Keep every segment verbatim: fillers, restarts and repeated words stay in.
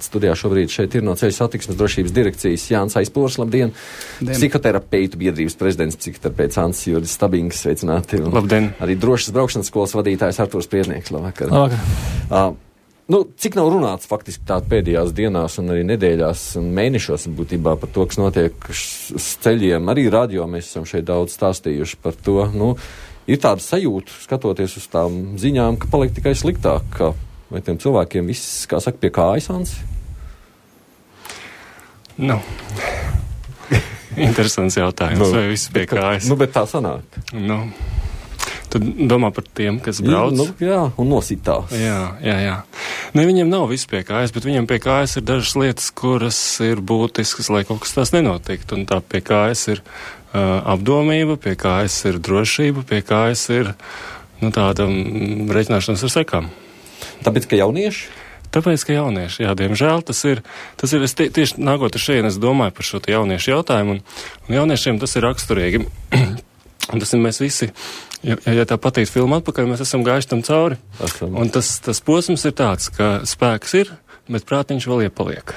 klāts studijā šobrīd šeit ir no Ceļu satiksmes drošības direkcijas Jānis Aizpūrs, labdien. Dien. Psihoterapeitu biedrības prezidents, psihoterapeits Ants Juris Stabings, sveicināti. Labdien. Arī drošas braukšanas skolas vadītājs Artūrs Priednieks, labvakar. Labvakar. Uh, nu, cik nav runāts faktiski tā pēdējās dienās un arī nedēļās un mēnešos būtībā par to, kas notiek uz ceļiem. Arī radio mēs esam šeit daudz stāstījuši par to. Nu, ir tāda sajūta, skatoties uz tām ziņām, ka paliek tikai sliktāk, ka vai tiem cilvēkiem viss, kā saka, pie kājas, Ansi? Nu, interesants jautājums, nu, vai viss pie kājas? Nu, bet tā sanāk. Nu, tu domā par tiem, kas brauc? Nu, jā, un nositās. Jā, jā, jā. Ne, viņiem nav viss pie kājas, bet viņiem pie kājas ir dažas lietas, kuras ir būtiskas, lai kaut kas tās nenotiktu. Un tā pie kājas ir uh, apdomība, pie kājas ir drošība, pie kājas ir, nu, tāda mm, reiķināšanās ar sekām. Tāpēc, ka jaunieši? Tāpēc, ka jaunieši, jā, diemžēl tas ir, tas ir, es tie, tieši nākot ar šeit, es domāju par šo jauniešu jautājumu, un, un jauniešiem tas ir raksturīgi. Un tas ir mēs visi, ja, ja tā patīk filmu atpakaļ, mēs esam gājuši tam cauri. Esam. Un tas, tas posms ir tāds, ka spēks ir, bet prātiņš vēl iepaliek.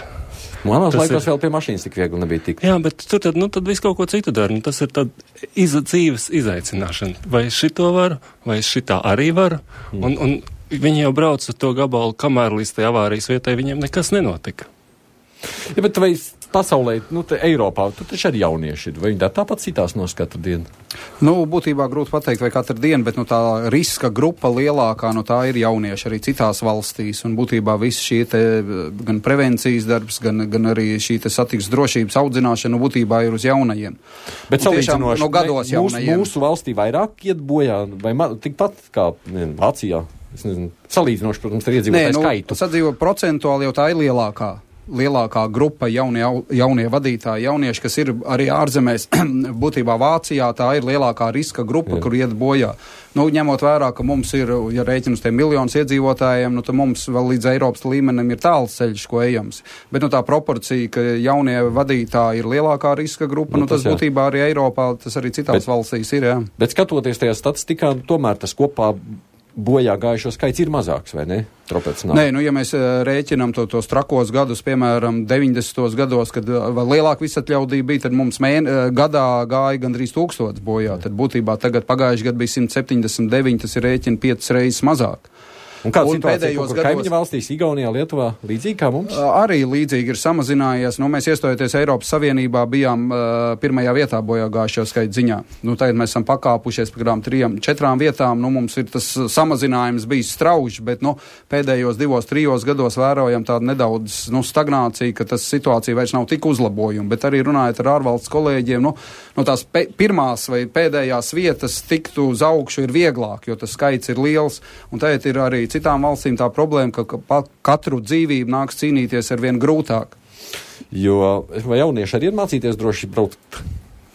Manās laikos ir... vēl pie mašīnas tik viegli nebija tikt. Jā, bet tur tad, nu, tad viss kaut ko citu dara. Nu, tas ir tad iz, dzīves izaicināšana. Vai šito varu, vai šitā arī varu. Mm. Un, un viņi jau brauc uz to gabalu, kamēr līdz tai avārijas vietai viņiem nekas nenotika. Ja, bet vai pasaulē, nu, te Eiropā, tur taču arī jaunieši ir. Vai viņi tā tāpat citās nos katru dienu? Nu, būtībā grūti pateikt, vai katru dienu, bet nu, tā riska grupa lielākā, nu, tā ir jaunieši arī citās valstīs. Un būtībā viss šī te gan prevencijas darbs, gan, gan arī šī te satiksmes drošības audzināšana, nu, būtībā ir uz jaunajiem. Bet salīdzinoši, no gados mūsu, mūsu valstī vairāk iet bojā, vai ma, tikpat kā ne, Vācijā? Es nezinu, salīdzinoši, protams, ar iedzīvotāju nu, skaitu. Sadzīvo procentuāli jau tā ir lielākā. lielākā grupa jaunie, jaunie vadītāji, jaunieši, kas ir arī ārzemēs, būtībā Vācijā, tā ir lielākā riska grupa, Jā. Kur iet bojā. Nu, ņemot vērā, ka mums ir, ja rēķina uz tiem miljonus iedzīvotājiem, nu, tad mums vēl līdz Eiropas līmenim ir tāls ceļš, ko ejams. Bet, nu, tā proporcija, ka jaunie vadītāji ir lielākā riska grupa, nu, nu tas, tas būtībā arī Eiropā, tas arī citās bet, valstīs ir, jā. Bet skatoties tajā statistikā, tomēr tas kopā bojā gājušo skaits ir mazāks, vai ne? Nē, nu, ja mēs rēķinām to, tos trakos gadus, piemēram, deviņdesmitos gados, kad vēl lielāka visatļaudība bija, tad mums mēn, gadā gāja gandrīz tūkstots bojā. Tad būtībā tagad pagājuši gadu bija simt septiņdesmit deviņi, tas ir rēķina piecas reizes mazāk. Un kāda situācija ir gados... kaimiņu valstīs, Igaunijā, Lietuvā, līdzīgi kā mums? Arī līdzīgi ir samazinājies. Nu, mēs iestojoties Eiropas Savienībā bijām uh, pirmajā vietā bojā gājušo skaitu ziņā. Nu, tagad mēs esam pakāpušies par kādām trijām, četrām vietām. Nu, mums ir tas samazinājums bijis strauji, bet nu, pēdējos divos, trijos gados vērojam tādu nedaudz nu, stagnāciju, ka tas situācija vairs nav tik uzlabojuma. Bet arī runājot ar ārvalsts kolēģiem, nu, nu tās pe- pirmās vai pēdējās vietas tikt uz augšu ir vieglāk, jo tas skaits ir liels. Un tagad ir arī citām valstīm tā problēma, ka, ka katru dzīvību nāks cīnīties ar vien grūtāk. Jo vai jaunieši arī ir mācīties droši braukt,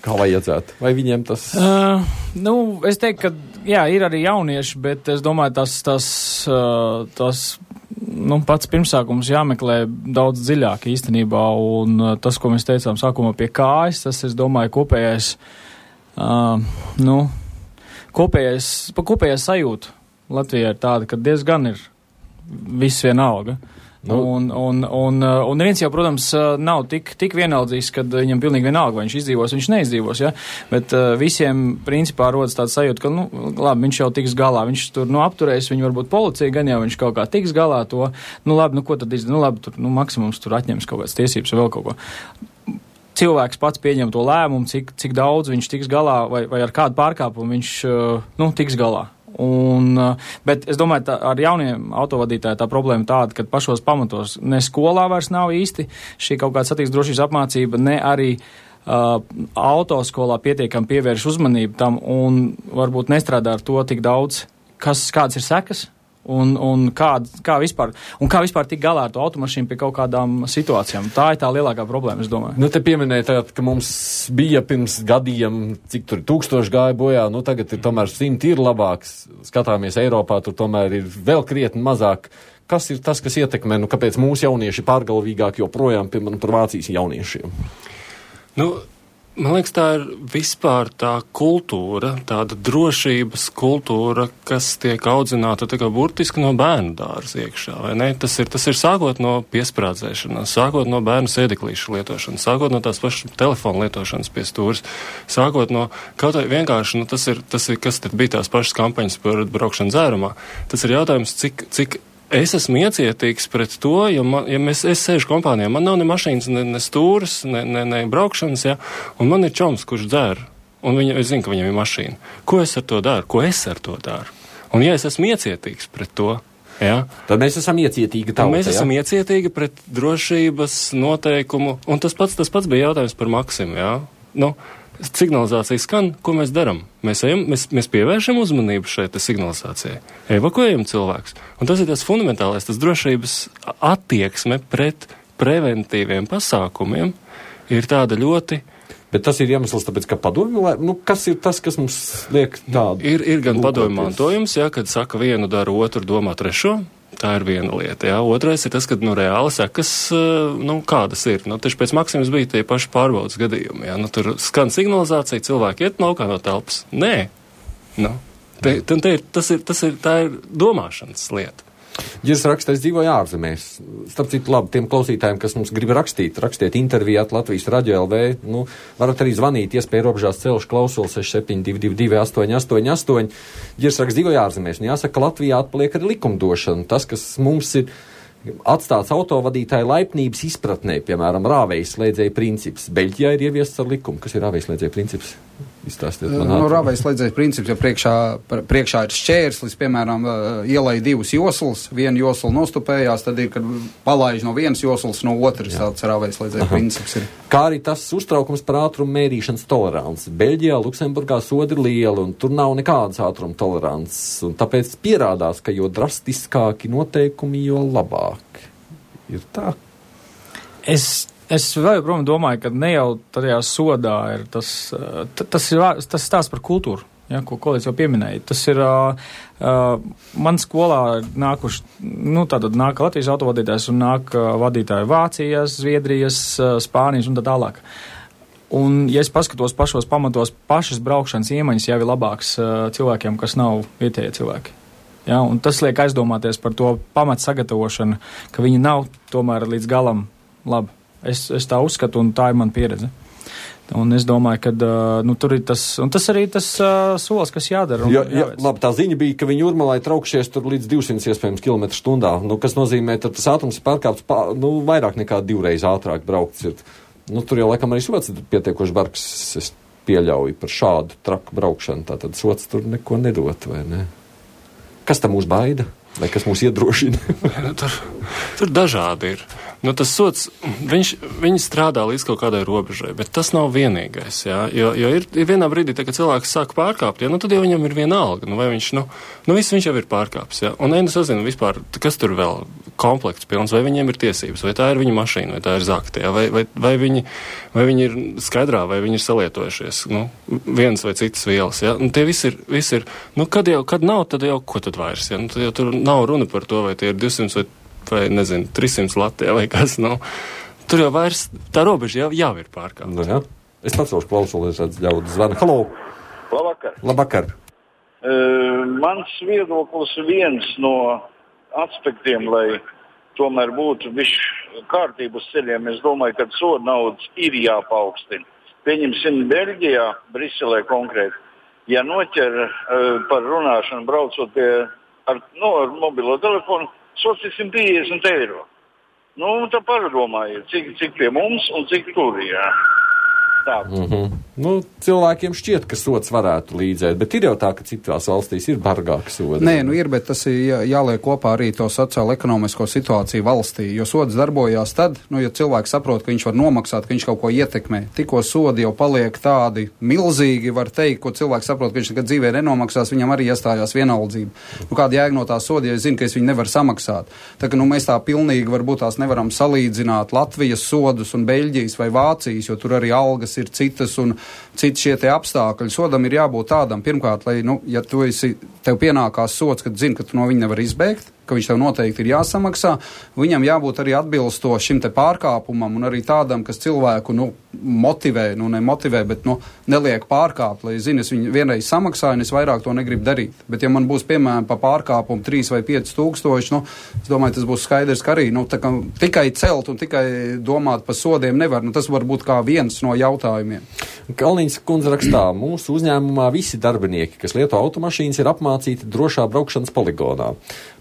kā vajadzētu? Vai viņiem tas... Uh, nu, es teiktu, ka jā, ir arī jaunieši, bet es domāju, tas, tas, uh, tas nu, pats pirmsākums jāmeklē daudz dziļāk īstenībā, un uh, tas, ko mēs teicām sākumā pie kājas, tas, es domāju, kopējais, uh, nu, kopējais, pa kopējais sajūta Latvijā ir tāda, ka diezgan ir viss vienalga. Nu. Un, un, un, un neviens jau, protams, nav tik, tik vienaldzīgs, kad viņam pilnīgi vienalga, vai viņš izdzīvos, viņš neizdzīvos, ja? Bet uh, visiem principā rodas tāds sajūta, ka, nu, labi, viņš jau tiks galā, viņš tur, nu, apturēs, viņu varbūt policija, gan jau viņš kaut kā tiks galā to, nu, labi, nu, ko tad izdara, nu, labi, tur, nu, maksimums tur atņems kaut kādas tiesības vai vēl kaut ko. Cilvēks pats pieņem to lēmumu, cik, cik daudz viņš tiks galā, vai, vai ar kādu pārkāpumu viņš, uh, nu, tiks galā. Un, bet es domāju, tā, ar jauniem autovadītājiem tā problēma tāda, ka pašos pamatos ne skolā vairs nav īsti šī kaut kāda satiksmes drošības apmācība, ne arī uh, autoskolā pietiekami pievērš uzmanību tam un varbūt nestrādā ar to tik daudz, kas, kādas ir sekas. Un, un, kā, kā vispār, un kā vispār tik galā ar to automašīnu pie kaut kādām situācijām. Tā ir tā lielākā problēma, es domāju. Nu, te pieminēja tagad, ka mums bija pirms gadiem, cik tur tūkstoši gāja bojā, nu tagad ir tomēr simti ir labāks. Skatāmies Eiropā, tur tomēr ir vēl krietni mazāk. Kas ir tas, kas ietekmē, nu kāpēc mūsu jaunieši pārgalvīgāk joprojām, piemēram, par Vācijas jauniešiem? Nu, Man liekas, tā ir vispār tā kultūra, tāda drošības kultūra, kas tiek audzināta tā kā burtiski no bērnu dārza iekšā, vai ne? Tas ir, tas ir sākot no piesprādzēšanas, sākot no bērnu sēdeklīšu lietošanas, sākot no tās pašas telefona lietošanas pie stūras, sākot no kaut vai vienkārši, nu tas ir, tas ir, kas tad bija tās pašas kampaņas par braukšanu dzērumā. Tas ir jautājums, cik, cik es esmu iecietīgs pret to, jo man, ja mēs, es sēžu kompānijā, man nav ne mašīnas, ne, ne stūras, ne, ne, ne braukšanas, ja, un man ir čoms, kurš dzer, un viņa, es zinu, ka viņam ir mašīna. Ko es ar to daru? Ko es ar to daru? Un ja es esmu iecietīgs pret to, ja, tad mēs esam iecietīgi tauta, mēs esam ja? iecietīgi pret drošības noteikumu, un tas pats, tas pats bija jautājums par Maksimu, ja, nu, signalizācija skan, ko mēs daram? Mēs, ejam, mēs, mēs pievēršam uzmanību šeit signalizācijai, evakuējam cilvēkus. Un tas ir tas fundamentālais, tas drošības attieksme pret preventīviem pasākumiem ir tāda ļoti. Bet tas ir iemesls, tāpēc, ka padomju, nu, kas ir tas, kas mums liek tādu? Ir, ir gan padomju mantojums, ja, kad saka vienu dara otru, domā trešo. Tā ir viena lieta, jā. Otrais ir tas, ka, nu, reāli sekas, nu, kādas ir. Nu, taču pēc Maksimas bija tie paši pārbaudas gadījumi, jā. Nu, tur skan signalizācija, cilvēki iet laukā no telpas. Nē. Nu, te, te, te ir, tas ir, tas ir, tā ir domāšanas lieta. Ģirs raksta, es dzīvoju ārzemēs. Starp citu, labi, tiem klausītājiem, kas mums grib rakstīt, rakstiet intervijāt Latvijas Radio L V, nu, varat arī zvanīt, iespēja robežās celšu klausuli seši septiņi divi divi divi astoņi astoņi astoņi. Ģirs raksta, dzīvoju ārzemēs, un jāsaka, Latvijā atpaliek arī likumdošana. Tas, kas mums ir atstāts autovadītāju laipnības izpratnē, piemēram, rāvējas slēdzēja princips. Beļģijā ir ieviests ar likumu. Kas ir rāvējas slēdzēja princips? Izstāstiet man. No rāvējas slēdzēja princips, ja priekšā, priekšā ir šķērslis, piemēram, ielai divas joslas, viena josla nostupējās, tad ir, kad palaiž no vienas joslas, no otras, tāds rāvējas slēdzēja princips ir. Kā arī tas uztraukums par ātrumu mērīšanas toleranci. Beļģijā, Luksemburgā sodi ir liela, un tur nav nekādas ātruma tolerances, un tāpēc pierādās, ka jo drastiskāki noteikumi, jo labāk. Ir tā. Es, es vēl joprojām domāju, ka ne jau tajā sodā ir tas, tas ir tas stāsts par kultūru, ja, ko kolēģis jau pieminēja. Tas ir, uh, uh, man skolā nākuši, nu tātad nāk Latvijas autovadītājs un nāk uh, vadītāji Vācijas, Zviedrijas, uh, Spānijas un tā tālāk. Un, ja es paskatos pašos pamatos, pašas braukšanas iemaņas jau ir labāks uh, cilvēkiem, kas nav vietējie cilvēki. Ja, un tas liek aizdomāties par to pamatu sagatavošanu, ka viņi nav tomēr līdz galam labi. Es, es tā uzskatu, un tā ir mana pieredze. Un es domāju, ka uh, nu, tur ir tas, un tas arī tas uh, solis, kas jādara. Ja, ja, labi, tā ziņa bija, ka viņi Jūrmalai traukšies tur līdz divsimt iespējams kilometru stundā, nu, kas nozīmē, ka tas ātrums ir pārkāpts pā, nu, vairāk nekā divreiz ātrāk braukts. Ir. Nu, tur jau laikam arī sots ir pietiekoši bargs, es pieļauju par šādu traku braukšanu, tātad sots tur neko nedot, vai ne? Kas tam mūs baida? Vai kas mūs iedrošina? tur, tur dažādi ir. Nu, tas sots, viņš, viņi strādā līdz kaut kādai robežai, bet tas nav vienīgais, jā, jo, jo ir, ir vienā brīdī, tā, kad cilvēks sāk pārkāpt, jā, nu, tad jau viņam ir viena alga, nu, vai viņš, nu, nu, viss viņš jau ir pārkāpis, jā, un es sazinu vispār, kas tur vēl komplekts pilns, vai viņiem ir tiesības, vai tā ir viņa mašīna, vai tā ir zakta, jā, vai, vai, vai, viņi, vai viņi ir skaidrā, vai viņi ir salietojušies, nu, viens vai citas vielas, jā, un tie visi ir, visi ir, nu, kad jau, kad nav, tad jau, ko tad vairs, jā, nu, tad jau tur nav runa par to, vai tie ir divsimt vai vai, nezinu, trīssimt Latvijā vai kas, nu, tur jau vairs, tā robeža jau, jau ir pārkāpta. Nu, jā. Es pacelšu klausuli, es redzu ļaudu zvanu. Halo! Labvakar! Labvakar! Uh, mans viedoklis viens no aspektiem, lai tomēr būtu višķi kārtību uz ceļiem, es domāju, ka soda naudas ir jāpaukstina. Pieņemsim Beļģijā, Briselē konkrēti, ja noķer uh, par runāšanu braucot pie, ar, no, ar mobilo telefonu, sots ir simt piecdesmit eiro. Nu, tā pārdomājiet, cik, cik pie mums un cik tur ir. Mm-hmm. Nu, cilvēkiem šķiet, ka sots varētu līdzēt, bet ir jau tā, ka citās valstīs ir bargāka soda. Nē, nu ir, bet tas ir jā, jāliek kopā arī to sociālo-ekonomisko situāciju valstī, jo sods darbojās tad, nu, ja cilvēks saprot, ka viņš var nomaksāt, ka viņš kaut ko ietekmē. Tikko sodi jau paliek tādi milzīgi, var teikt, ko cilvēks saprot, ka viņš nekad dzīvē nenomaksās, viņam arī iestājās vienaldzība. Nu, kāda jēga no tā soda, ja es zinu, ka es viņu nevaru samaksāt. Tā ka, nu, mēs tā pilnīgi varbūt tās nevaram salīdzināt Latvijas sodus un Beļģijas vai Vācijas, jo tur arī algas ir citas un citi šie te apstākļi. Sodam ir jābūt tādam, pirmkārt, lai, nu, ja tu esi, tev pienākās sods, kad zini, ka tu no viņa nevar izbēgt, ka viņš tev noteikti ir jāsamaksā, viņam jābūt arī atbilstoši šim te pārkāpumam un arī tādam, kas cilvēku, nu, motivē, nu, ne motivē, bet, nu, neliek pārkāpt, lai, zini, es viņu vienreiz samaksāju un es vairāk to negribu darīt. Bet, ja man būs, piemēram, pa pārkāpumu trīs vai pieci tūkstoši, nu, es domāju, tas būs skaidrs, ka arī, nu, tā kā tikai celt un tikai domāt par sodiem nevar, nu, tas var būt kā viens no jautājumiem. Kalniņas kundze rakstā, mūsu uzņēmumā visi darbinieki, kas lieto automašīnas, ir apmācīti drošā braukšanas poligonā.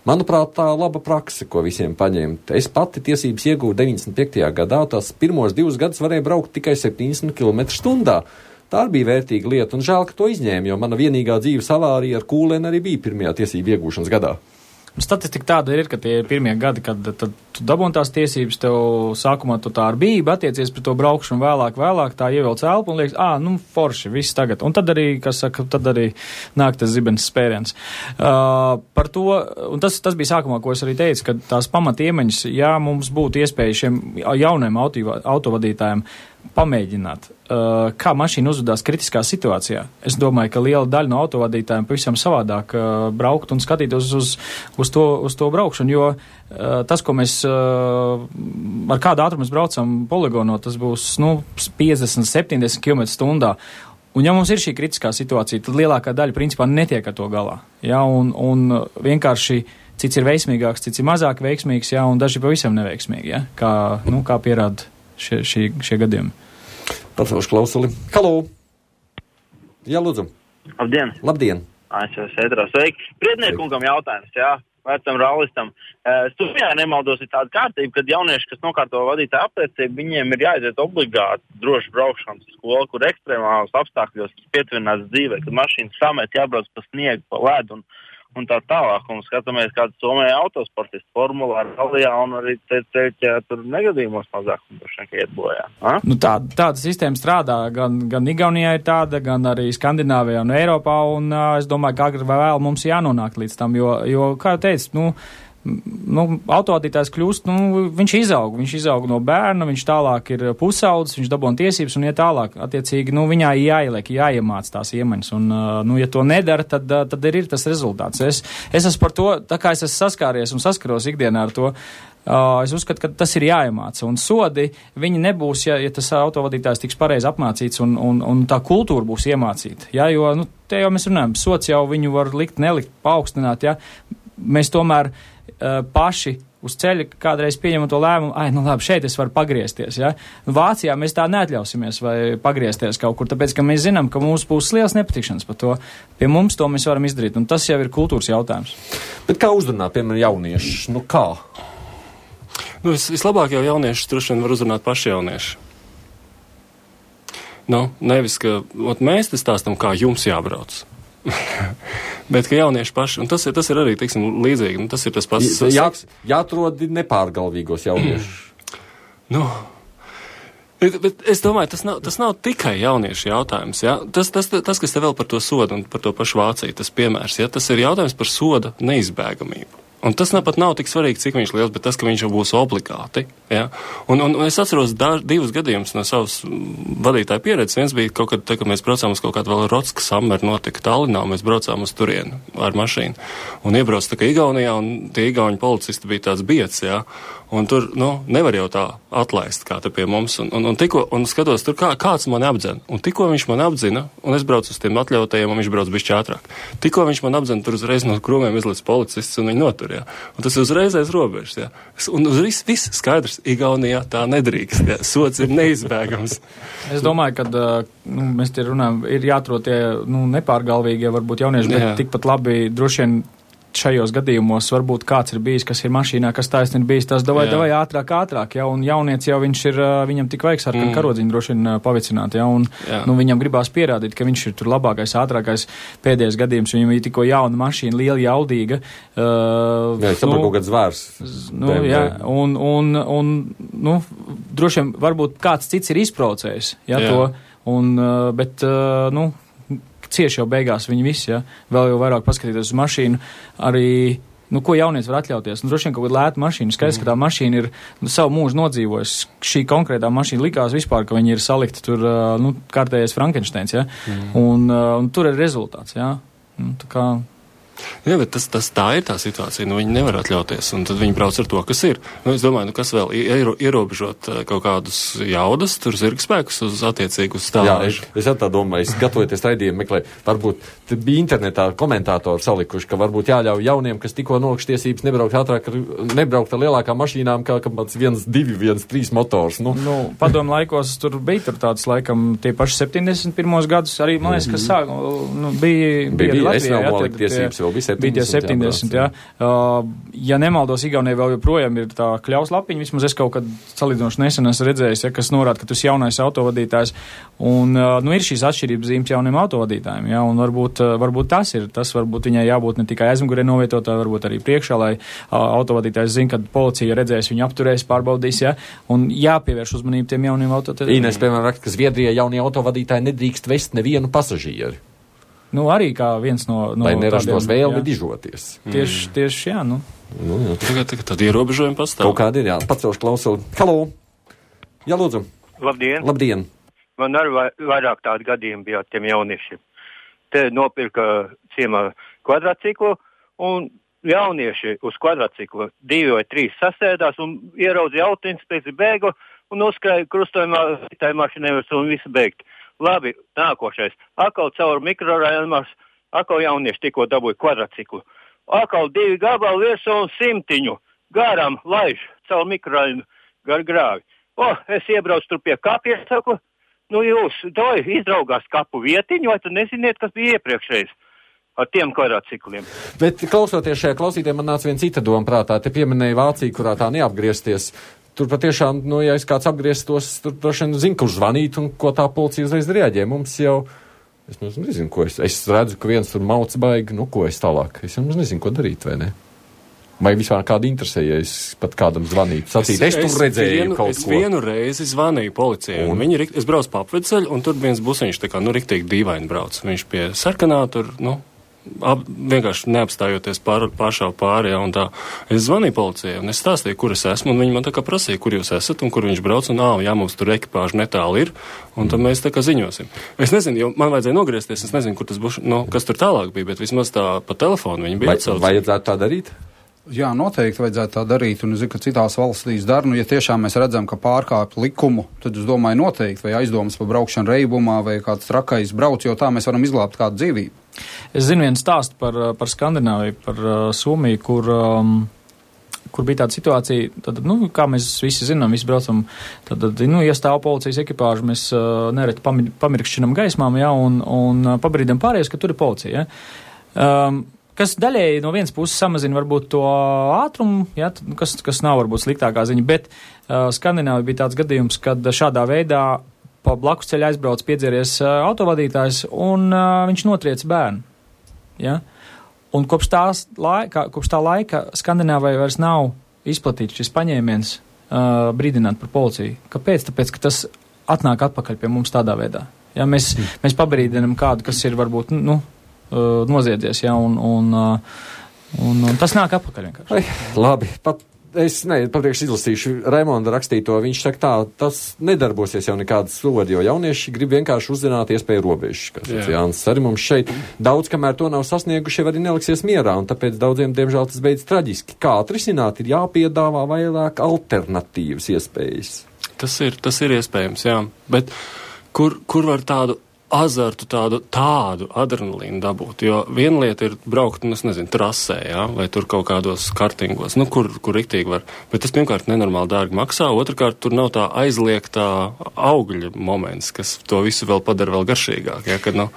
Manuprāt, tā laba prakse, ko visiem paņemt. Es pati tiesības iegūju deviņdesmit piektajā gadā, tās pirmos divus gadus varēja braukt tikai septiņdesmit kilometrus stundā. Tā bija vērtīga lieta, un žēl, ka to izņēma, jo mana vienīgā dzīves avārija ar kūlēni arī bija pirmajā tiesību iegūšanas gadā. Statistika tāda ir, ka tie ir pirmie gadi, kad tad tu dabūni tās tiesības, tev sākumā tu tā ar bību attiecies pret to braukšanu, vēlāk, vēlāk tā ievelc elpu un liekas, ā, nu, forši, viss tagad. Un tad arī, kas saka, tad arī nāk tas zibens spēriens. Uh, par to, un tas, tas bija sākumā, ko es arī teicu, ka tās pamatiemaņas, ja mums būtu iespēja šiem jauniem auto, autovadītājiem pamēģināt, uh, kā mašīna uzvedās kritiskā situācijā. Es domāju, ka liela daļa no autovadītājiem pavisam savādāk uh, braukt un skatītos uz, uz, to, uz to braukšanu, jo uh, tas, ko mēs uh, ar kādu ātrumu mēs braucam poligono, tas būs, nu, piecdesmit, septiņdesmit kilometru stundā. Un ja mums ir šī kritiskā situācija, tad lielākā daļa principā netiek ar to galā. Ja, un, un vienkārši cits ir veiksmīgāks, cits ir mazāk veiksmīgs, ja, un daži pavisam neveiksmīgi, ja, kā, nu, kā pierāda Šie, šie, šie gadījumi. Pacelšu klausuli. Halo! Jā, lūdzu. Labdien! Labdien! Es jau sēdrā. Sveiki! Priedniekungam jautājums, jā, vecam rallistam. Studijā nemaldos ir tāda kārtība, kad jaunieši, kas nokārto vadītāju apliecību, viņiem ir jāiziet obligāti droši braukšanas skolu, kur ekstremālos apstākļos pietuvināts dzīvē, kad mašīnas samet jābrauc pa sniegu, pa ledu un un tā tālāk, un skatāmies, kāds Somijā autosportists formulā ar Galijā, un arī ceļķē tur negadījumos mazāk, un droši vien, ka iet bojā. A? Nu tā, tāda sistēma strādā, gan, gan Igaunijā ir tāda, gan arī Skandināvijā un Eiropā, un uh, es domāju, ka agri vai vēl mums jānonāk līdz tam, jo, jo kā jau teicu, nu, nu, autovadītājs kļūst, nu, viņš izaug, viņš izaug no bērna, viņš tālāk ir pusaudzis, viņš dabūna tiesības un iet tālāk. Attiecīgi, nu, viņā jāieliek, jāiemāc tās iemaņas, un, nu, ja to nedara, tad, tad ir tas rezultāts. Es, es esmu par to, tā kā es esmu saskāries un saskaros ikdienā ar to, uh, es uzskatu, ka tas ir jāiemāca, un sodi, viņi nebūs, ja, ja tas autovadītājs tiks pareizi apmācīts, un, un, un tā kultūra būs iemācīta, ja, jo, nu, te jau mēs runājam, sots jau viņu var likt, nelikt, paaugstināt, ja, mēs tomēr Uh, paši uz ceļa kādreiz pieņemam to lēmumu, ai, nu labi, šeit es varu pagriezties, ja. Vācijā mēs tā neatļausimies vai pagriezties kaut kur, tāpēc, ka mēs zinām, ka mums būs liels nepatikšanas par to. Pie mums to mēs varam izdarīt, un tas jau ir kultūras jautājums. Bet kā uzrunāt, piemēram, jauniešus? Nu kā? Nu, vis, vislabāk jau jauniešus droši vien var uzrunāt paši jaunieši. Nu, nevis, ka ot, mēs te stāstam, kā jums jābrauc. Bet, ka jaunieši paši, un tas ir, tas ir arī, teiksim, līdzīgi, nu, tas ir tas pats. Jā, jāatrod nepārgalvīgos jauniešus. Nu, bet, bet es domāju, tas nav, tas nav tikai jauniešu jautājums, jā. Tas, tas, tas, kas te vēl par to sodu un par to pašu Vāciju, tas piemērs, jā, tas ir jautājums par soda neizbēgamību. Un tas nav pat nav tik svarīgi, cik viņš liels, bet tas, ka viņš jau būs obligāti. Ja? Un, un, un es atceros daž, divus gadījumus no savas vadītāja pieredzes. Viens bija kaut kad, te, kad mēs braucām uz kaut kādu vēl Rotska Summer notika Tallinā, un mēs braucām uz turienu ar mašīnu. Un iebrauc tā kā Igaunijā, un tie igauņu policisti bija tāds biets, ja? Un tur, nu, nevar jau tā atlaist, kā te pie mums. Un, un, un, tikko, un skatos, tur kā, kāds mani apdzina. Un tikko viņš mani apdzina, un es braucu uz tiem atļautajiem, un viņš brauc bišķi ātrāk. Tikko viņš mani apdzina, tur uzreiz no krūmiem izliec policists, un viņi notur, jā. Un tas ir uzreiz aiz robežas, jā. Un uz viss, viss skaidrs, Igaunijā tā nedrīkst, jā. Sots ir neizbēgams. Es domāju, ka, nu, mēs te runājam, ir jāatrod tie, nu, nepārgalvīgie, varbūt jaunieši, bet jā. Tikpat labi droši vien šajos gadījumos varbūt kāds ir bijis, kas ir mašīnā, kas taisni ir bijis, tas davai, davai ātrāk, ātrāk, ja, un jaunieci jau viņš ir, viņam tik vajag sarkanu mm. karodziņu droši vien pavicināt, ja, un, jā. Nu, viņam gribās pierādīt, ka viņš ir tur labākais, ātrākais pēdējais gadījums, viņam ir tikko jauna mašīna, liela, jaudīga. Uh, jā, nu, kaut kāds zvērs. Nu, jā, un, un, un, nu, droši vien varbūt kāds cits ir izprovocējis, ja, jā. To, un, uh, bet, uh, nu, cieši jau beigās viņi visi, ja, vēl jau vairāk paskatīties uz mašīnu, arī, nu, ko jaunieci var atļauties. Nu, droši vien kaut kāda lēta mašīna, skaidrs, mm. ka tā mašīna ir nu, savu mūžu nodzīvojusi. Šī konkrētā mašīna likās vispār, ka viņi ir salikti tur, nu, kārtējais Frankensteins, ja, mm. un, un tur ir rezultāts, ja. Nu, tā kā Jā, bet tas, tas tā ir tā situācija, nu viņi nevar atļauties, un tad viņi brauc ar to, kas ir. Nu, es domāju, nu kas vēl iero, ierobežot kaut kādus jaudas, tur zirgspēkus uz attiecīgu stāžu. Jā, es, es tā domāju, es gatavoties raidījumu meklēju, varbūt bija internetā komentātori salikuši, ka varbūt jāļauj jauniem, kas tikko nolikuši tiesības nebraukt ātrāk, nebraukt ar lielākām mašīnām, kā kāds viens, divi, viens, trīs motors. Nu, nu padomu laikos tur bija tur tāds, laikam, tie paši septiņdesmit pirmos gadus, arī, man liekas, kas sāk, nu, bija, bija, bija Latvijā, jā, tie, tiesības, vēl bija septiņdesmit, septiņdesmit jā. jā. Uh, ja nemaldos, Igaunijā vēl joprojām ir tā kļaus lapiņa, vismaz es kaut kad salīdzinoši nesen esmu redzējis, ja, kas norāda, ka tu esi jaunais autovadītājs, un, uh, nu, ir šīs atšķirības zīmes jauniem autovadītājiem, jā, un varbūt, uh, varbūt tas ir, tas varbūt viņai jābūt ne tikai aizmugurē novietotāji, varbūt arī priekšā, lai uh, autovadītājs zina, kad policija redzēs, viņu apturēs, pārbaudīs, jā, un jāpievērš uzmanību tiem jauniem autovadītājiem. Ines, piemēram, raksta, ka Zviedrijā jaunie autovadītāji nedrīkst vest nevienu pasažieri. Nu, arī kā viens no... no lai neražos vēlmi jā. dižoties. Tieši, mm. tieši, jā, nu. nu jā. Tagad, tagad tad ierobežojumi pastāv. Kaut kādi ir, jā. Pacelšu klausuli. Halo! Jā, lūdzu. Labdien! Labdien! Man arī vairāk tādu gadījumu bija ar tiem jauniešiem. Te nopirka ciemā kvadrātciklu, un jaunieši uz kvadrātciklu divi vai trīs sasēdās un ieraudzīja autoinspekciju bēgu un uzskrēja krustojumā tai mašīnai un visu beigt. Labi, nākošais. Akal caur mikrorajumās, akal jaunieši tikko dabūja kvadrātciklu. Akal divi gabali virsū un simtiņu garām laiž caur mikrorajumu gar grāvi. O, es iebraucu tur pie kapiem, saku, nu jūs, doj, izdraugās kapu vietiņu, vai tu neziniet, kas bija iepriekšējais ar tiem kvadrātcikliem. Bet klausoties šajā klausītē, man nāca viena cita doma prātā. Te pieminēja Vāciju, kurā tā neapgriezties. Tur patiešām, nu, ja es kāds apgrieztos, tur droši vien zinu, kurš zvanīt un ko tā policija uzreiz reaģē. Mums jau, es nezinu, ko es, es redzu, ka viens tur mauc baigi, nu, ko es tālāk. Es jau nezinu, ko darīt, vai ne? Vai vispār kādu interesē, ja es pat kādam zvanītu, sacīt, es, es tur redzēju vienu, kaut es ko. Es vienu reizi zvanīju policijai, un, un viņi, es braucu pa apvedceļu, un tur viens busiņš tā kā, nu, riktīgi dīvaini brauc. Viņš pie sarkanā tur, nu, ap, vienkārši neapstājoties pār, pāršāv pāri, ja, un tā. Es zvanīju policijai, un es stāstīju, kur es esmu, un viņi man tā kā prasīja, kur jūs esat, un kur viņš brauc, un ā, jā, mums tur ekipāža netāli ir, un tad mēs tā kā ziņosim. Es nezinu, jo man vajadzēja nogriezties, es nezinu, kur tas būs, nu, kas tur tālāk bija, bet vismaz tā pa telefonu viņi bija atsaucīgi. Vai vajadzētu tā darīt? Jā, noteikti vajadzētu tā darīt, un es zinu, ka citās valstīs dara, nu, ja tiešām mēs redzam, ka pārkāpj likumu, tad es domāju noteikti, vai aizdomas par braukšanu reibumā, vai kāds trakais brauc, jo tā mēs varam izglābt kādu dzīvību. Es zinu vienu stāstu par, par Skandināviju, par uh, Somiju, kur, um, kur bija tāda situācija, tad, nu, kā mēs visi zinām, visi braucam, tad, nu, iestāv policijas ekipāžu, mēs uh, nereti pamir, pamirkšķinam gaismām, jā, un, un uh, pabrīdam pārējais, ka tur ir policija, jā. Um, kas daļēji no vienas puses samazina varbūt to ātrumu, ja, kas, kas nav varbūt sliktākā ziņa, bet uh, Skandināvija bija tāds gadījums, kad šādā veidā pa blakus ceļa aizbrauc piedzēries uh, autovadītājs un uh, viņš notriec bērnu. Ja? Un kopš, tās laika, kopš tā laika Skandināvijai vairs nav izplatīts šis paņēmiens uh, brīdināt par policiju. Kāpēc? Tāpēc, ka tas atnāk atpakaļ pie mums tādā veidā. Ja? Mēs, mm. mēs pabrīdinam kādu, kas ir varbūt, nu, noziedzies, ja, un, un, un, un tas nāk atpakaļ vienkārši. Ai, labi, pat es, ne, papriekš izlasīšu Raimonda rakstīto, viņš saka tā, tas nedarbosies jau nekādas sodi, jo jaunieši grib vienkārši uzzināt iespēju robežas, kas ir Jānis arī mums šeit. Daudz, kamēr to nav sasnieguši, arī neliksies mierā, un tāpēc daudziem, diemžēl, tas beidz traģiski. Kā atrisināt, ir jāpiedāvā vairāk alternatīvas iespējas. Tas ir, tas ir iespējams, jā, bet kur, kur var tādu azartu, tādu, tādu adrenalīnu dabūt, jo viena lieta ir braukt, nu, es nezinu, trasē, jā, vai tur kaut kādos kartingos, nu, kur, kur riktīgi var, bet tas pirmkārt nenormāli dārgi maksā, otrkārt tur nav tā aizliegtā augļa moments, kas to visu vēl padara vēl garšīgāk, jā, kad, nu,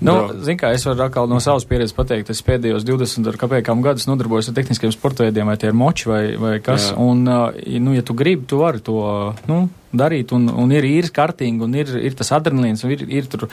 nu, zin kā, es varu atkal no savas pieredzes pateikt, es pēdējos divdesmit ar kāpēkām gadus nodarbojos ar tehniskiem sportveidiem, vai tie ir moči vai, vai kas, jā. Un, nu, ja tu gribi, tu vari to, nu, darīt, un, un ir īri kartingi, un ir, ir tas adrenalīns, un ir, ir tur,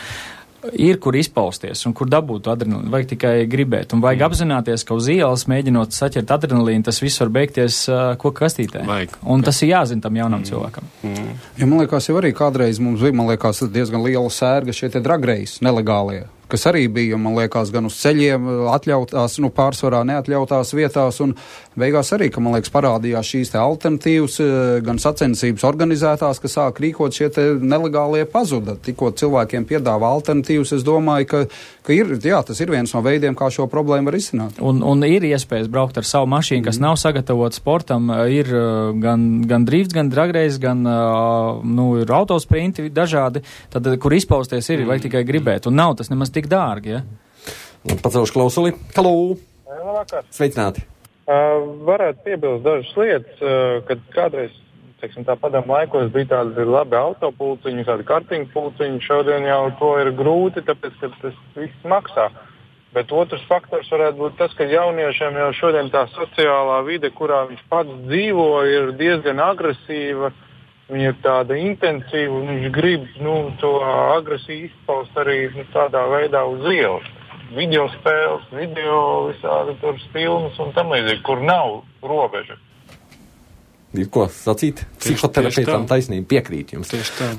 ir kur izpausties, un kur dabūt adrenalīnu. Vajag tikai gribēt, un vajag mm. apzināties, ka uz ielas, mēģinot saķert adrenalīnu, tas viss var beigties uh, koka kastītē. Vajag. Un tas ir jāzina tam jaunam mm. cilvēkam. Mm. Ja man liekas, jau arī kādreiz mums bija, man liekas, diezgan liela sērga šie te dragreisi nelegālie. kas arī bija, man liekas, gan uz ceļiem atļautās, nu, pārsvarā neatļautās vietās, un beigās arī, ka, man liekas, parādījās šīs te alternatīvas, gan sacensības organizētās, ka sāk rīkot šie te nelegālie pazuda. Tikko cilvēkiem piedāvā alternatīvas, es domāju, ka, ka ir, jā, tas ir viens no veidiem, kā šo problēmu var izsināt. Un, un ir iespējas braukt ar savu mašīnu, kas mm. nav sagatavota sportam, ir gan, gan drifts, gan dragreiz, gan, nu, ir autosprinti dažādi, tad, kur izpausties ir, mm. vajag tikai gribēt, un nav tas nemaz tik dārgi, ja? Pacelšu klausuli. Halo! Labvakar! Sveicināti! Uh, varētu piebilst dažas lietas, uh, kad kādreiz, teiksim, tā padomu laikos bija tādi labi autopulciņi, tādi kartiņu pulciņi, šodien jau to ir grūti, tāpēc, ka tas viss maksā. Bet otrs faktors varētu būt tas, ka jauniešiem jau šodien tā sociālā vide, kurā viņš pats dzīvo, ir diezgan agresīva. Viņa ir tāda intensīva un viņš grib, nu, to agresiju izpaust arī, nu, tādā veidā uz ielas. Video spēles, video visādi tur filmas un tam līdzīgi, kur nav robeža. Ir ko sacīt? Psihoterapeitam taisnība, piekrīt jums.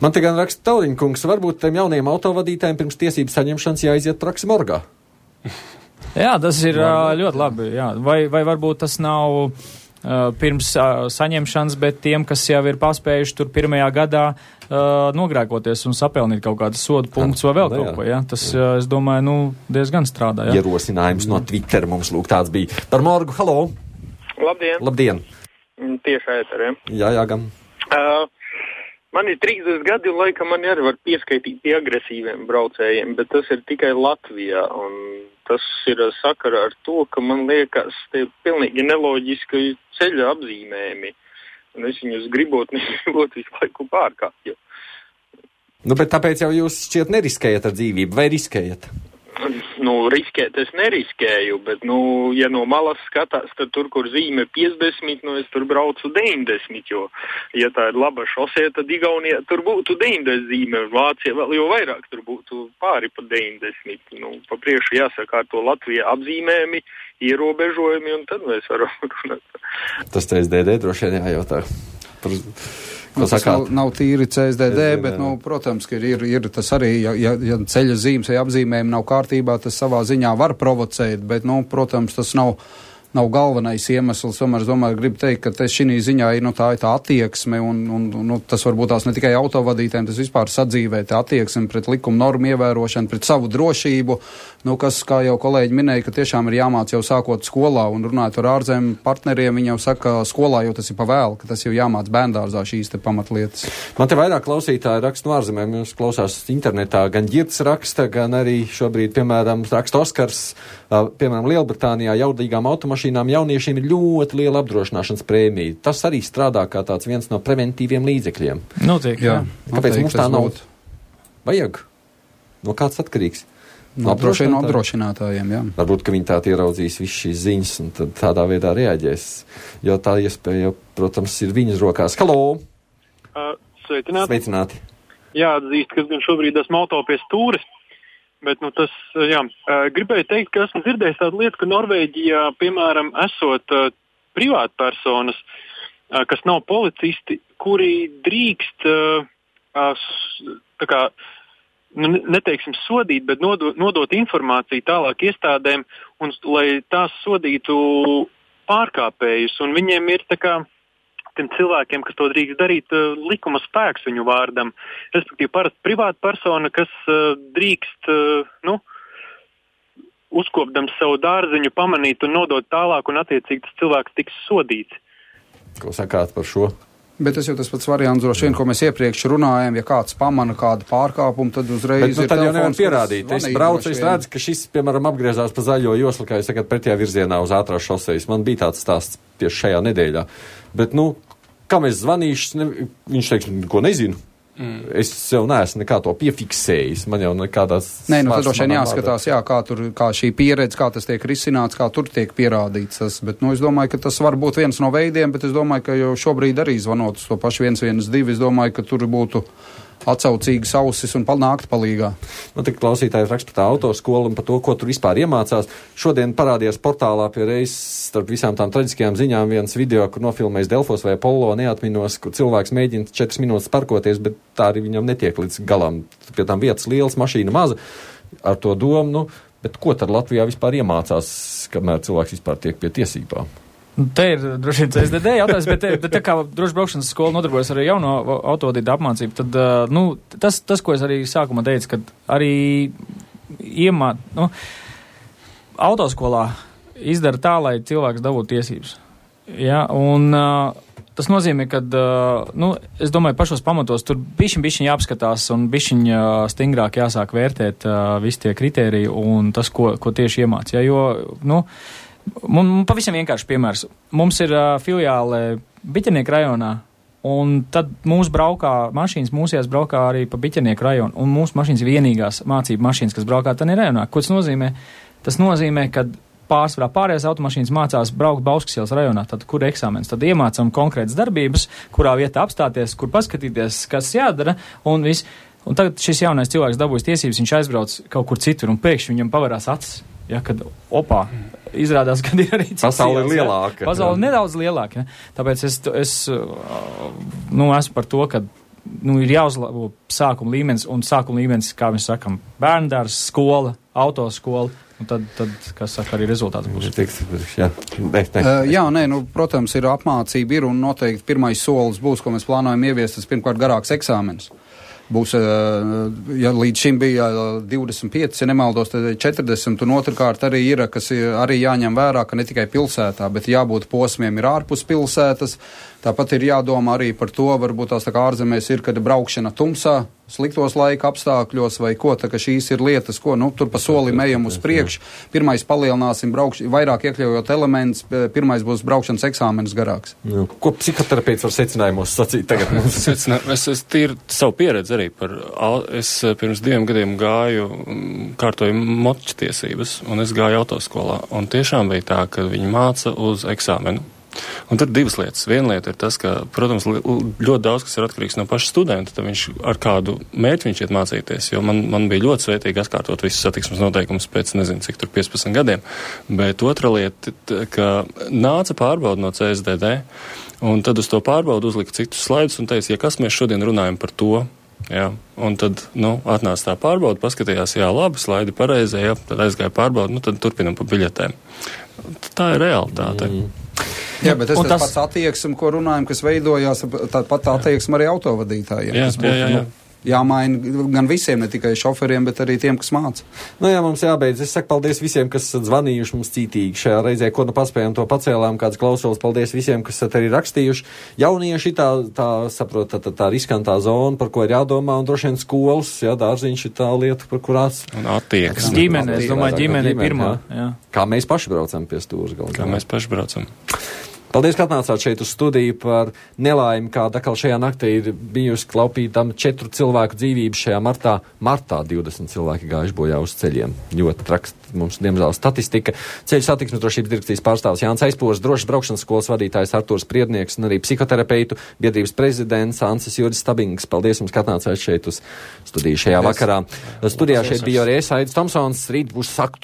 Man te gan raksta Tauriņkungs, varbūt tiem jauniem autovadītājiem pirms tiesības saņemšanas jāiziet praksi morgā. Jā, tas ir uh, ļoti labi. Jā. Vai, vai varbūt tas nav uh, pirms uh, saņemšanas, bet tiem, kas jau ir paspējuši tur pirmajā gadā uh, nogrēkoties un sapelnīt kaut kādas sodu punktus vai vēl kaut ko. Ja? Tas, uh, es domāju, nu, diezgan strādā. Ja? Ierosinājums no Twitter mums lūk tāds bija. Par morgu, halo! Labdien! Labdien! Tieši ēteriem. Jā, jā, gan. Uh, man ir trīsdesmit gadi un laikam man arī var pieskaitīt pie agresīviem braucējiem, bet tas ir tikai Latvijā. Un tas ir sakara ar to, ka man liekas, tie ir pilnīgi neloģiski ceļa apzīmējumi. Un es viņus gribot, negribot visu laiku pārkāpt. Nu, bet tāpēc jau jūs šķiet neriskējat ar dzīvību, vai riskējat? Nu, riskēt es neriskēju, bet, nu, ja no malas skatās, tad tur, kur zīme piecdesmit, nu, es tur braucu deviņdesmit, jo, ja tā ir laba šosē, tad Igaunijā tur būtu deviņdesmit zīme, un Vācija vēl jau vairāk tur būtu pāri pa deviņdesmit. Nu, pa priekšu jāsaka ar to Latvijā apzīmējumi, ierobežojumi, un tad mēs varam runāt. Tas C S D D droši vien jājautā. Par... Nu, tas nav, nav tīri C S D D, bet, nu, protams, ka ir, ir tas arī, ja, ja, ja ceļa zīmes vai apzīmējumi nav kārtībā, tas savā ziņā var provocēt, bet, nu, protams, tas nav, nav galvenais iemesls. Tomēr es domāju, gribu teikt, ka šī ziņā ir, nu, tā ir tā attieksme, un, un nu, tas varbūt tās ne tikai autovadītājiem, tas vispār sadzīvē, tā attieksme pret likuma normu ievērošanu, pret savu drošību, nu, kas, kā jau kolēģi minēja, ka tiešām ir jāmāc jau sākot skolā, un runājot ar ārzemju partneriem, viņi jau saka, skolā jau tas ir pa vēlu, ka tas jau jāmāc bērndārzā šīs te pamatlietas. Man te vairāk klausītāji raksta no ārzemēm, jūs klausās internetā, gan Ģirds raksta, gan arī šobrīd, piemēram, raksta Oskars, piemēram, Lielbritānijā jaudīgām automašīnām jauniešiem ir ļoti liela apdrošināšanas prēmija. Tas arī strādā kā tāds viens no preventīviem līdzekļiem. Notiek, jā. Kāpēc mums tā nav? Vajag? No kāds atkarīgs? No apdrošinātājiem, jā. Varbūt, ka viņi tā ieraudzīs visu šīs ziņas un tad tādā veidā reaģēs, jo tā iespēja, protams, ir viņas rokās. Halo! Uh, sveicināti! Sveicināti! Jā, atzīst, ka gan šobrīd esmu auto pie stūres, bet, nu, tas, jā, uh, gribēju teikt, ka esmu dzirdējis tādu lietu, ka Norvēģijā, piemēram, esot uh, privātpersonas, uh, kas nav policisti, kuri drīkst, uh, uh, tā kā, nu, neteiksim sodīt, bet nodot, nodot informāciju tālāk iestādēm, un lai tās sodītu pārkāpējus. Un viņiem ir tā kā tiem cilvēkiem, kas to drīkst darīt, likuma spēks viņu vārdam. Respektīvi, parasti privāta persona, kas uh, drīkst, uh, nu, uzkopdams savu dārziņu, pamanīt un nodot tālāk, un attiecīgi tas cilvēks tiks sodīts. Ko sakāt par šo? Bet tas jau tas pats variants, droši vien, ko mēs iepriekš runājam, ja kāds pamana kādu pārkāpumu, tad uzreiz bet, nu, ir tad telefons. Jau nevar pierādīt. Es braucu, es redzu, ka šis, piemēram, apgriezās pa zaļo joslu, kā jūs sakat, pretējā virzienā uz ātrās šosejas. Man bija tāds stāsts tieši šajā nedēļā. Bet, nu, kam es zvanīšu, ne, viņš teiks, ko nezinu. Mm. Es jau neesmu nekā to piefiksējis. Man jau nekādās... Nē, nu tad droši vien jāskatās, jā, kā, tur, kā šī pieredze, kā tas tiek risināts, kā tur tiek pierādīts. Tas, bet, nu, es domāju, ka tas var būt viens no veidiem, bet es domāju, ka jau šobrīd arī zvanot uz to pašu viens viens divi, es domāju, ka tur būtu atsaucīgas ausis un nākt palīgā. Man tik klausītājs raksta par tā autoskolu un par to, ko tur vispār iemācās. Šodien parādījās portālā pie reizes starp visām tām traģiskajām ziņām viens video, kur nofilmējis Delfos vai Apollo, neatminos, kur cilvēks mēģina četras minūtes parkoties, bet tā arī viņam netiek līdz galam. Pie tām vietas liels, mašīna maza. ar to domu, nu, bet ko tad Latvijā vispār iemācās, kamēr cilvēks vispār tiek pie tiesībām? Te ir droši vien C S D D jautājums, bet, bet tā kā droši braukšanas skola nodarbojas ar jauno autovadītāju apmācību, tad, nu, tas, tas, ko es arī sākumā teicu, kad arī iemā, nu, autoskolā izdara tā, lai cilvēks dabūtu tiesības. Ja, un uh, tas nozīmē, ka, uh, nu, es domāju, pašos pamatos tur bišķiņ, bišķiņ jāapskatās un bišķiņ uh, stingrāk jāsāk vērtēt uh, visi tie kriteriji un tas, ko, ko tieši iemāc. Ja, jo, nu, man pavisam vienkārši piemērs. Mums ir uh, filiāle Biķernieku rajonā, un tad mūsu braukā mašīnas, mūsējās braukā arī pa Biķernieku rajonu, un mūsu mašīnas ir vienīgās mācību mašīnas, kas braukā tādā rajonā. Ko tas nozīmē? Tas nozīmē, ka pārsvarā pārējās automašīnas mācās braukt Bauskas ielas rajonā, tad kur eksāmens, tad iemācam konkrētas darbības, kurā vietā apstāties, kur paskatīties, kas jādara, un viss. Un tagad šis jaunais cilvēks dabūjas tiesības, viņš aizbrauc kaut kur citur, un pēkšņi viņam pavarās acis, ja, kad, opā, izrādās, kad ir arī cits. Pasaule ir lielāka. Ja? Pasaule nedaudz lielāka, ja? Tāpēc es, es, nu, esmu par to, ka, nu, ir jāuzlabo sākuma līmenis, un sākuma līmenis, kā mēs sakam, bērndārs, skola, autoskola, un tad, tad, kas saka, arī rezultāts būs. Jā, ne, ne. Uh, jā, nē, nu, protams, ir apmācība, ir, un noteikti pirmais solis būs, ko mēs plānojam ieviest, tas pirmkārt garāks eksāmenis. Būs, ja līdz šim bija divdesmit pieci, ja nemaldos, tad četrdesmit, un otrkārt arī ir, kas ir arī jāņem vērā, ka ne tikai pilsētā, bet jābūt posmiem ir ārpus pilsētas. Tāpat ir jādomā arī par to, varbūt tās tā kā ārzemēs ir, kad braukšana tumsā, sliktos laika apstākļos vai ko, tā ka šīs ir lietas, ko, nu, tur pa solim ejam uz priekšu. Pirmais palielināsim braukš, vairāk iekļaujot elements, pirmais būs braukšanas eksāmenis garāks. Nu, ko psihoterapeits var secinājumos sacīt tagad? es, es tīri savu pieredzi arī par, es pirms diviem gadiem gāju, kārtoju moču tiesības, un es gāju autoskolā, un tiešām bija tā, ka viņi māca uz eksāmenu. Un tur divas lietas. Viena lieta ir tas, ka, protams, ļoti daudz, kas ir atkarīgs no paša studenta, tad viņš ar kādu mērķi viņš iet mācīties, jo man, man bija ļoti svētīgi atkārtot visus satiksmes noteikumus pēc, nezinu, cik tur piecpadsmit gadiem, bet otra lieta, ka nāca pārbauda no C S D D, un tad uz to pārbaudu uzlika citus slaidus un teica, ja kas mēs šodien runājam par to, jā, un tad, nu, atnāca tā pārbauda, paskatījās, jā, labi, slaidi pareizē, jā, tad aizgāja pārbauda, nu, tad turpinam pa biļetēm. Tā ir realitāte. Mm. Jā, bet es un tas tas pats attieksme, ko runājam, kas veidojās, tā pat attieksme arī autovadītājiem. Jā, būtu, jā, jā. Nu, jāmaina gan visiem, ne tikai šoferiem, bet arī tiem, kas māca. Nu jā, mums jābeidz. Es saku paldies visiem, kas esat zvanījuši mums cītīgi šajā reizē, ko nu paspējām, to pacēlām, kāds klausulis. Paldies visiem, kas esat arī rakstījuši. Jaunieši tā, tā saprot, tā, tā, tā riskantā zona, par ko ir jādomā, un droši vien skolas, jā, dārziņš ir tā lieta, par kurās. Un attieksme. Ģimene, es domāju, ģimene ir pirmā. Jā. Jā. Kā mēs paši braucam pie stūras galvā. Kā mēs paši braucam. Paldies, ka atnācāt šeit uz studiju par nelaimi, kāda atkal šajā naktī ir bijusi klaupītama četru cilvēku dzīvību šajā martā. Martā divdesmit cilvēki gājuši bojā uz ceļiem. Ļoti traks mums, diemžēl, statistika. Ceļu satiksmes drošības direkcijas pārstāvs Jānis Aizpors, drošas braukšanas skolas vadītājs Artūrs Priednieks un arī psihoterapeitu biedrības prezidents Ancis Juris Stabings. Paldies jums, ka atnācāt šeit uz studiju šajā Paldies. Vakarā. Studijā šeit bija arī es, Aidis Tomsons. Rīt būs saktu.